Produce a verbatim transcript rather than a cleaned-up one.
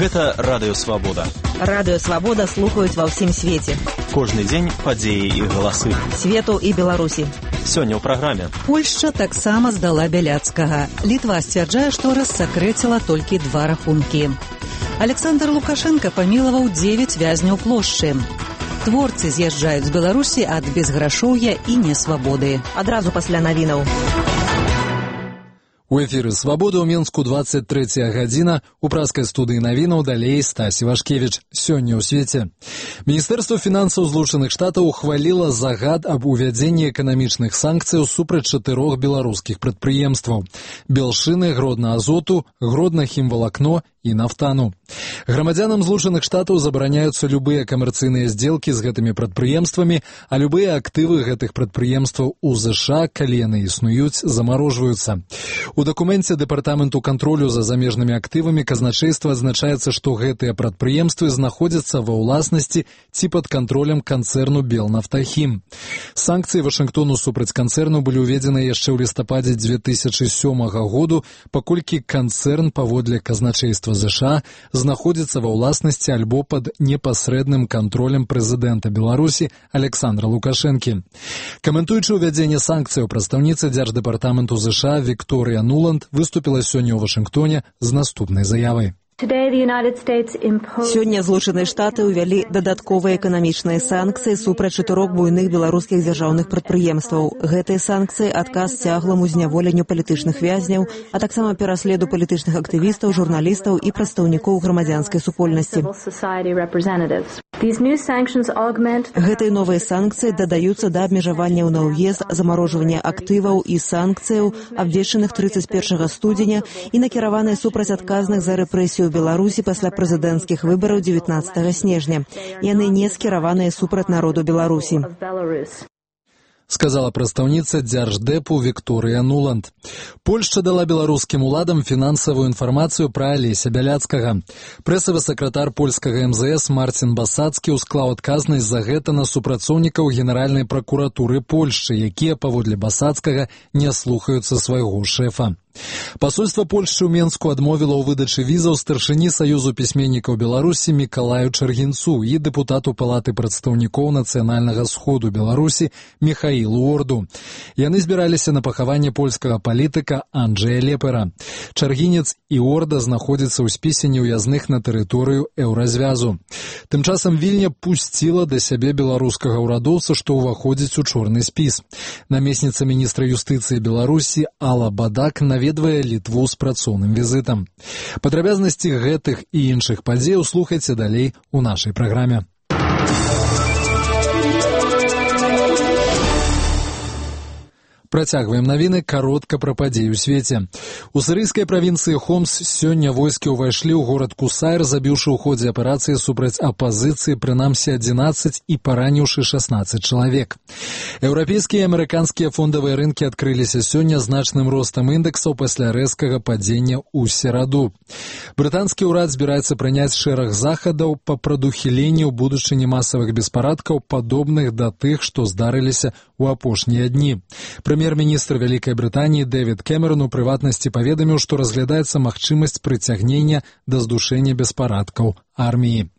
Гэта Радыё Свабода. Радыё Свабода слухаюць ва ўсім свеце. Кожны дзень падзеі і галасы. Свету і Беларусі. Сёння ў праграме. Польшча таксама здала Бяляцкага. Літва сцвярджае, што рассакрэціла толькі два рахункі. Александр Лукашенко памілаваў дзевяць вязняў плошчы. Творцы з'язджаюць з Беларусі ад безграшоўя і несвабоды. Адразу пасля навінаў. У эфіры «Свабода» ў Мінску двадцать третья гадзіна. У праскай студыі навінаў далей Стасі Вашкевіч. Сёння ў свеце. Міністэрства фінансаў Злучаных Штатаў ухваліла загад аб увядзенні эканамічных санкцыяў супраць чатырох беларускіх прадпрыемстваў. Белшыны, Гродна-Азоту, Гродна-Хімвалакно і Нафтану. Грамадзянам Злучаных Штатаў забараняюцца любыя камерцыйныя здзелкі з гэтымі прадпрыемствамі, а любыя актывы гэтых прадпрыемстваў у ЗША, калі яны існуюць, замарожваюцца. У дакуменце Дэпартаменту кантролю за замежнымі актывамі казначейства адзначаецца, што гэтыя прадпрыемствы знаходзяцца ва ўласнасці ці пад кантролем канцэрну Белнафтахім. Санкцыі Вашынгтону супраць канцэрну былі ўведзены яшчэ ў лістападзе две тысячы сёмага году, паколькі канцэрн паводле казначейства ЗША знаходзіцца ва ўласнасці альбо пад непасрэдным кантролем прэзідэнта Беларусі Александра Лукашэнкі. Каментуючы ўвядзенне санкцыяў, прадстаўніца Дзярждэпартаменту ЗША Вікторыя Нуланд выступіла сёння ў Вашынгтоне з наступнай заявай. Сёння Злучаныя Штаты ўвялі дадатковыя эканамічныя санкцыі супраць чатырох буйных беларускіх дзяржаўных прадпрыемстваў. Гэтыя санкцыі — адказ цягламу зняволенню палітычных вязняў, а таксама пераследу палітычных актывістаў, журналістаў і прадстаўнікоў грамадзянскай супольнасці. Гэтыя новыя санкцыі дадаюцца да абмежаванняў на ўезд, замарожвання актываў і санкцыяў, абвешчаных трыццаць першага студзеня і накіраваныя супраць адказных за рэпрэсію ў Беларусі пасля прэзідэнцкіх выбараў дзевятнаццатага снежня. Яны не скіраваныя супраць народу Беларусі. Сказала прадстаўніца Дзярждэпу Вікторыя Нуланд. Польшча дала беларускім уладам фінансавую інфармацыю пра Алеся Бяляцкага. Прэсавы сакратар польскага эм зэ эс Марцін Басацкі ўсклаў адказнасць за гэта на супрацоўнікаў Генеральнай пракуратуры Польшчы, якія, паводле Басацкага, не слухаюцца свайго шэфа. Пасольства Польшчы ў Менску адмовіла ў выдачы візаў старшыні Саюзу пісьменнікаў Беларусі Мікалаю Чаргінцу і дэпутату Палаты прадстаўнікоў Нацыянальнага сходу Беларусі Міхаілу Орду. Яны збіраліся на пахаванне польскага палітыка Анджэя Лепера. Чаргінец і Орда знаходзяцца ў спісе неўязных на тэрыторыю еўразвязу. Тым часам Вільня пусціла да сябе беларускага ўрадоўца, што ўваходзіць у чорны спіс. Намесніца міністра юстыцыі Беларусі Алла Бадак наведвае Літву з працоўным візітам. Падрабязнасці гэтых і іншых падзеяў слухайце далей у нашай праграме. Працягваем навіны каротка пра падзеі ў свеце. У сірыйскай правінцыі Хомс сёння войскі ўвайшлі ў горад Кусайр, забіўшы ў ходзе аперацыі супраць апазіцыі прынамсі адзінаццаць і параніўшы шаснаццаць чалавек. Еўрапейскія і амерыканскія фондавыя рынкі адкрыліся сёння значным ростам індэксаў пасля рэзкага падзення ў сераду. Брытанскі ўрад збіраецца прыняць шэраг захадаў па прадухіленні ў будучыні масавых беспарадкаў, падобных да тых, што здарыліся ў апошнія дні. Прэм'ер-міністр Вялікай Брытаніі Дэвід Кэмерон у прыватнасці паведаміў, што разглядаецца магчымасць прыцягнення да здушэння беспарадкаў арміі.